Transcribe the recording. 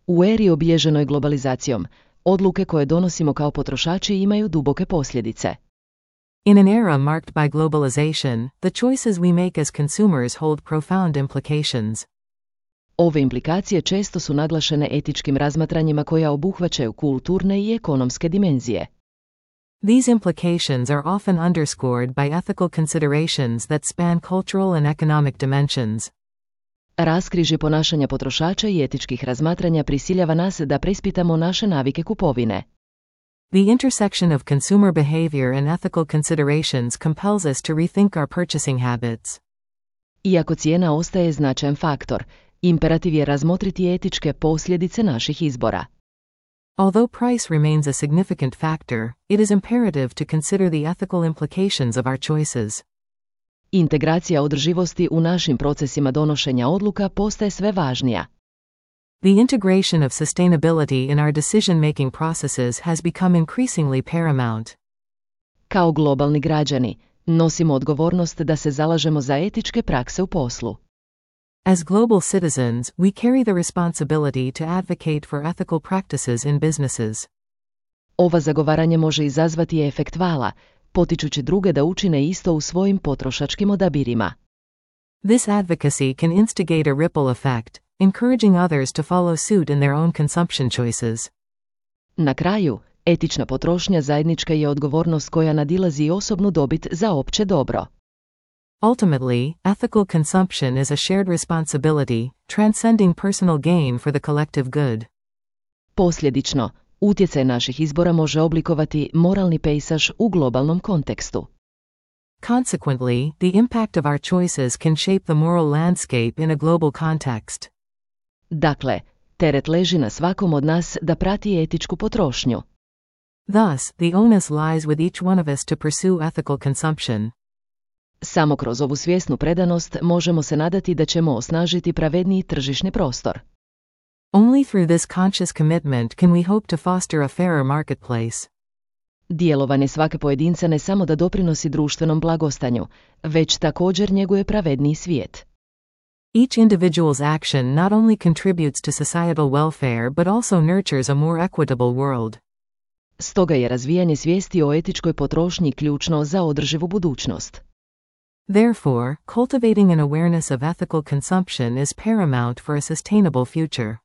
U eri obilježenoj globalizacijom, odluke koje donosimo kao potrošači imaju duboke posljedice. In an era marked by globalization, the choices we make as consumers hold profound implications. Ove implikacije često su naglašene etičkim razmatranjima koja obuhvaćaju kulturne i ekonomske dimenzije. These implications are often underscored by ethical considerations that span cultural and economic dimensions. Raskrižje ponašanja potrošača i etičkih razmatranja prisiljava nas da preispitamo naše navike kupovine. The intersection of consumer behavior and ethical considerations compels us to rethink our purchasing habits. Iako cijena ostaje značajan faktor, imperativ je razmotriti etičke posljedice naših izbora. Although price remains a significant factor, it is imperative to consider the ethical implications of our choices. Integracija održivosti u našim procesima donošenja odluka postaje sve važnija. The integration of sustainability in our decision-making processes has become increasingly paramount. Kao globalni građani, nosimo odgovornost da se zalažemo za etičke prakse u poslu. As global citizens, we carry the responsibility to advocate for ethical practices in businesses. Ova zagovaranje može izazvati efekt vala, potičući druge da učine isto u svojim potrošačkim odabirima. This advocacy can instigate a ripple effect, encouraging others to follow suit in their own consumption choices. Na kraju, etična potrošnja zajednička je odgovornost koja nadilazi osobnu dobit za opće dobro. Ultimately, ethical consumption is a shared responsibility, transcending personal gain for the collective good. Posljedično, utjecaj naših izbora može oblikovati moralni pejsaž u globalnom kontekstu. Consequently, the impact of our choices can shape the moral landscape in a global context. Dakle, teret leži na svakom od nas da prati etičku potrošnju. Thus, the onus lies with each one of us to pursue ethical consumption. Samo kroz ovu svjesnu predanost možemo se nadati da ćemo osnažiti pravedniji tržišni prostor. Only through this conscious commitment can we hope to foster a fairer marketplace. Djelovanje svake pojedinca ne samo da doprinosi društvenom blagostanju, već također njeguje pravedniji svijet. Each individual's action not only contributes to societal welfare but also nurtures a more equitable world. Stoga je razvijanje svijesti o etičkoj potrošnji ključno za održivu budućnost. Therefore, cultivating an awareness of ethical consumption is paramount for a sustainable future.